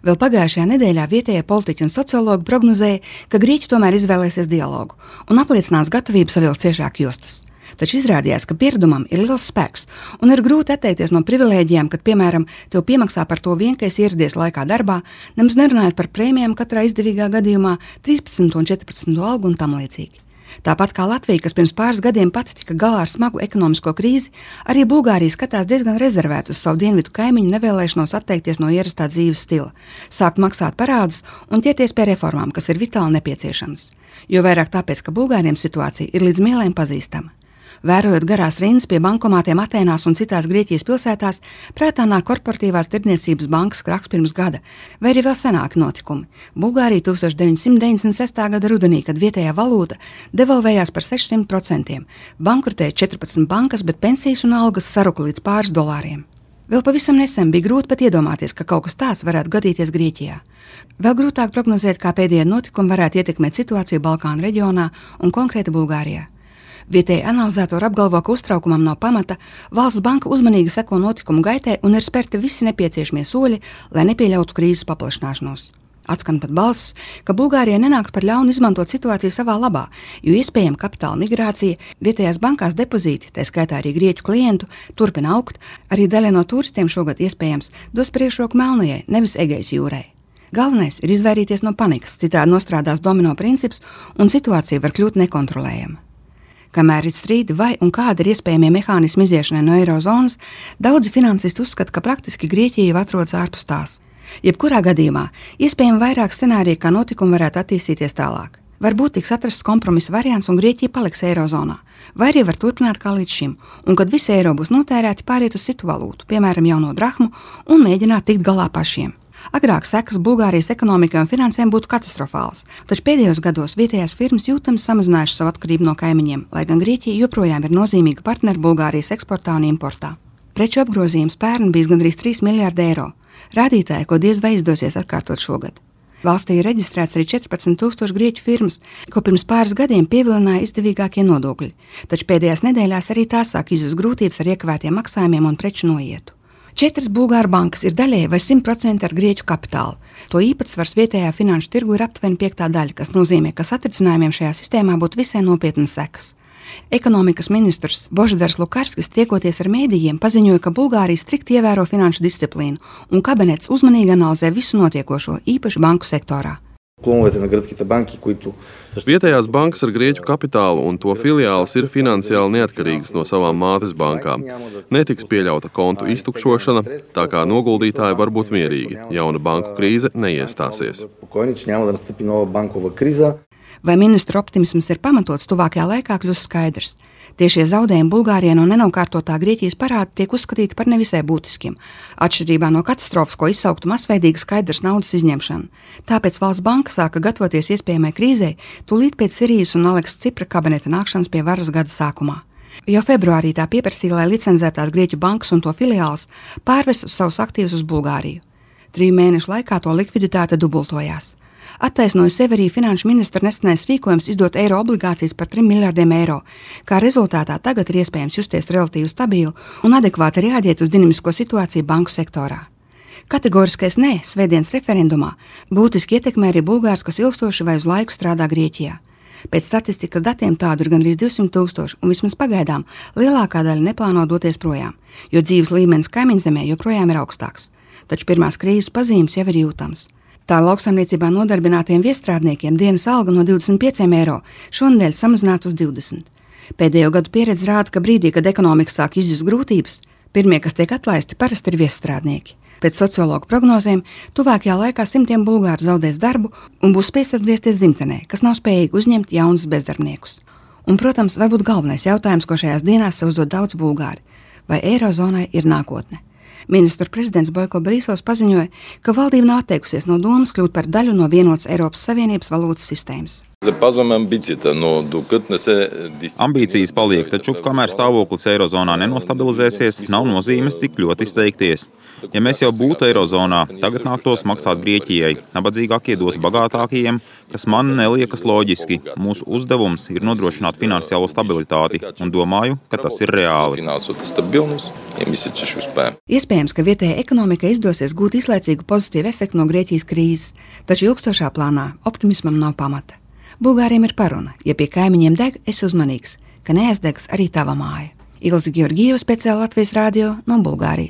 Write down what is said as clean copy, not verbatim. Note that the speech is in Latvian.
Vēl pagājušajā nedēļā vietējie politiķi un sociologi prognozēja, ka grieķi tomēr izvēlēsies dialogu un apliecinās gatavību savilkt ciešāk jostas. Taču izrādījās, ka pieredumam ir liels spēks un ir grūti atteikties no privilēģijām, kad, piemēram, tev piemaksā par to vien, ka esi ieradies laikā darbā, nemaz nerunājot par prēmijām katrā izdevīgā gadījumā, 13 un 14 algu un tam līdzīgi. Tāpat kā Latvija, kas pirms pāris gadiem pati tika galā ar smagu ekonomisko krīzi, arī Bulgārija skatās diezgan rezervēt uz savu dienvidu kaimiņu nevēlēšanos atteikties no ierastā dzīves stila, sākt maksāt parādus un ķerties pie reformām, kas ir vitāli nepieciešamas. Jo vairāk tāpēc, ka Bulgāriem situācija ir līdz mielēm pazīstama. Vērojot garās rindas pie bankomātiem Atēnās un citās Grieķijas pilsētās, prātā nāk korporatīvās tirdzniecības bankas krahs pirms gada, vai arī vēl senāki notikumi. Bulgārija 1996. gada rudenī, kad vietējā valūta devalvējās par 600%, bankrotēja 14 bankas, bet pensijas un algas saruka līdz pāris dolāriem. Vēl pavisam nesen bija grūti pat iedomāties, ka kaut kas tāds varētu gadīties Grieķijā. Vēl grūtāk prognozēt, kā pēdējie notikumi varētu ietekmēt situāciju Balkānu reģionā un konkrēti Bulgārijā. Vietēji analizētori apgalvo, ka uztraukumam nav pamata, valsts banka uzmanīgi seko notikumu gaitai un ir spērti visi nepieciešamie soļi, lai nepieļautu krīzes paplašināšanos. Atskan pat balss, ka Bulgārijai nenāktu par ļaunu izmantot situāciju savā labā, jo iespējama kapitāla migrācija, vietējās bankās depozīti, tā skaitā arī grieķu klientu, turpina augt, arī daļa no turistiem šogad iespējams dos priekšroku Melnajai, nevis Egejas jūrai. Galvenais ir izvairīties no panikas, citādi nostrādās domino princips un situācija var kļūt nekontrolējama. Kamēr ir strīdi vai un kāda ir iespējamie mehānismi iziešanai no eirozonas, daudzi finansisti uzskata, ka praktiski Grieķija jau atrodas ārpus tās. Jebkurā gadījumā iespējami vairāk scenāriju, kā notikumi varētu attīstīties tālāk. Varbūt tiks atrasts kompromisa variants un Grieķija paliks eirozonā, vai arī var turpināt kā līdz šim, un kad visi eiro būs notērēti, pāriet uz citu valūtu, piemēram jauno drahmu, un mēģināt tikt galā pašiem. Agrāk sekas Bulgārijas ekonomikai un finansēm būtu katastrofāls, taču pēdējos gados vietējās firmas jūtami samazinājušas savu atkarību no kaimiņiem, lai gan Grieķija joprojām ir nozīmīga partneri Bulgārijas eksportā un importā. Preču apgrozījums pērn bijis gandrīz 3 miljārdi eiro, rādītāji, ko diez vai izdosies atkārtot šogad. Valstī ir reģistrēts arī 14,000 grieķu firmas, ko pirms pāris gadiem pievilināja izdevīgākie nodokļi, taču pēdējās nedēļās arī tās sāk izjust grūtības ar iekavētiem maksājumiem un preču noietu. 4 Bulgāru bankas ir daļēji vai 100% ar grieķu kapitālu. To īpatsvars vietējā finanšu tirgu ir aptuveni 5. daļa, kas nozīmē, ka satricinājumiem šajā sistēmā būtu visai nopietnas sekas. Ekonomikas ministrs Božidars Lukarskis, tiekoties ar mēdījiem, paziņoja, ka Bulgārija strikti ievēro finanšu disciplīnu un kabinets uzmanīgi analizē visu notiekošo, īpaši banku sektorā. Vietējās bankas ar grieķu kapitālu un to filiāles ir finansiāli neatkarīgas no savām mātes bankām. Netiks pieļauta kontu iztukšošana, tā kā noguldītāji var būt mierīgi. Jauna banku krīze neiestāsies. Vai ministru optimisms ir pamatots, tuvākajā laikā kļūs skaidrs. Tiešie zaudējumi Bulgārijai no nenokārtotā Grieķijas parāda tiek uzskatīti par nevisai būtiskiem, atšķirībā no katastrofas, ko izsauktu masveidīga skaidrs naudas izņemšana. Tāpēc valsts banka sāka gatavoties iespējamai krīzei tūlīt pēc Sirijas un Aleksa Cipra kabineta nākšanas pie varas gada sākumā. Jau februārī tā pieprasīja, lai licencētās Grieķu bankas un to filiāles pārvest savus aktīvus uz Bulgāriju. 3 mēnešu laikā to likviditāte dubultojās. Attaisnoja sevi arī finanšu ministra nesenais rīkojums izdot eiro obligācijas par 3 miljārdiem eiro, kā rezultātā tagad ir iespējams justies relatīvi stabili un adekvāti reaģēt uz dinamisko situāciju banku sektorā. Kategoriskais nē svētdienas referendumā būtiski ietekmē arī bulgārus, kas ilgstoši vai uz laiku strādā Grieķijā. Pēc statistikas datiem tādu ir gandrīz 200,000 un vismaz pagaidām lielākā daļa neplāno doties projām, jo dzīves līmenis kaimiņzemē joprojām ir augstāks. Taču pirmās krīzes pazīmes jau ir jūtams. Tā lauksaimniecībā nodarbinātiem viestrādniekiem dienas alga no 25 eiro šonedēļ samazināta uz 20. Pēdējo gadu pieredze rāda, ka brīdī, kad ekonomika sāk izjust grūtības, pirmie, kas tiek atlaisti, parasti ir viestrādnieki. Pēc sociologu prognozēm, tuvākajā laikā simtiem bulgāru zaudēs darbu un būs spiest atgriezties dzimtenē, kas nav spējīgi uzņemt jaunus bezdarbniekus. Un, protams, varbūt galvenais jautājums, ko šajās dienās sev uzdod daudz bulgāri – vai eirozonai ir nākotne? Ministru prezidents Bojko Brīsovs paziņoja, ka valdība nav atteikusies no domas kļūt par daļu no vienotas Eiropas Savienības valūtas sistēmas. Ambīcijas paliek, taču kamēr stāvoklis eirozonā nenostabilizēsies, nav nozīmes tik ļoti steigties. Ja mēs jau būtu eirozonā, tagad nāktos maksāt Grieķijai, nabadzīgākie dotu bagātākajiem, kas man neliekas loģiski. Mūsu uzdevums ir nodrošināt finansiālo stabilitāti, un domāju, ka tas ir reāli. Iespējams, ka vietējai ekonomikai izdosies gūt īslaicīgu pozitīvu efektu no Grieķijas krīzes, taču ilgstošā plānā optimismam nav pamata. Bulgāriem ir paruna, ja pie kaimiņiem deg, esi uzmanīgs, ka neaizdegs arī tava māja. Ilze Georgieva, speciāli Latvijas radio no Bulgārijas.